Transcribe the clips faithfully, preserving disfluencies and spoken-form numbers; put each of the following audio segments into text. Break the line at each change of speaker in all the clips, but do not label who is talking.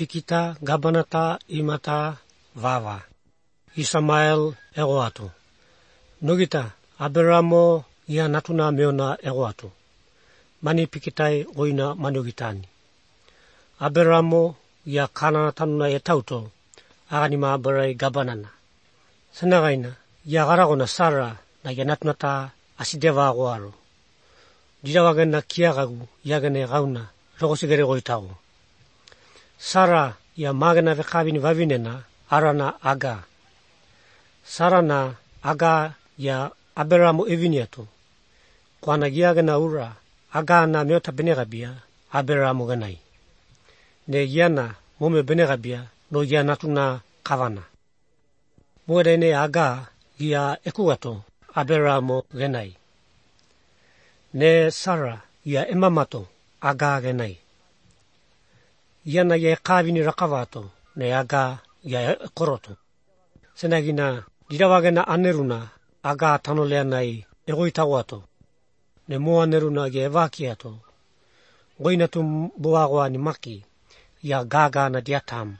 pikita, gabanata, imata, vava. Isamael ego atu. Nogita, Aberamo ia natuna meona ego atu. Mani pikitai oina manogitani. Aberamo ia kanana tanuna e tauto, aganima abarai gabanana. Sanagaina, ia garagona Sara na ia natunata asideva agoaro. Dirawagana kiagagu iagane gauna, rogosigere goitago. Sara ia magana vekavini vavinena arana Aga. Sara na Aga ia Aberamo eviniatu. Kwana iagana ura, Aga na meota benegabia, Aberamo ganai. Ne iana mome benegabia no ia natuna kavana. Muerene Aga ia ekugato Aberamo ganai. Ne Sara ia emamato Aga ganai. Iana ia kavini rakavato ne Aga ia koroto. Senagina dirawagena aneruna Aga tanoleanai egoitagoato. Ne moa neruna ia evakiato. Goinatu boagoa ni maki ia gaga na diatam.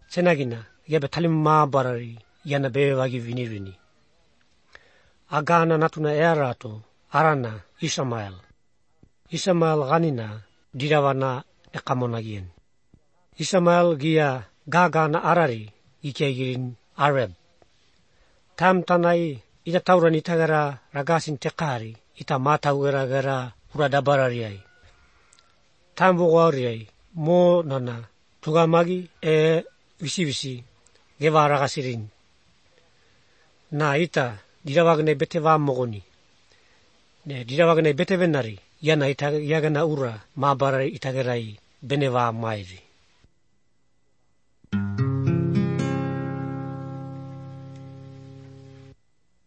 Senagina ia betalim maabarari iana bevagi vinirini. Aga na natuna earato arana Isamael. Isamael ganina dirawana ekamonagien. Isamael gia gaga na arari ikeigirin Arab. Tam tanai ita tauran itagara ragasin tekari ita matau gara gara uradabarariai. Tam bogauriai mo nana tugamagi e visi visi geva ragasirin. Na ita dirawagne beteva mogoni. Ne dirawagne betevenari yana ita yagana ura mabarari itagerai beneva mairi.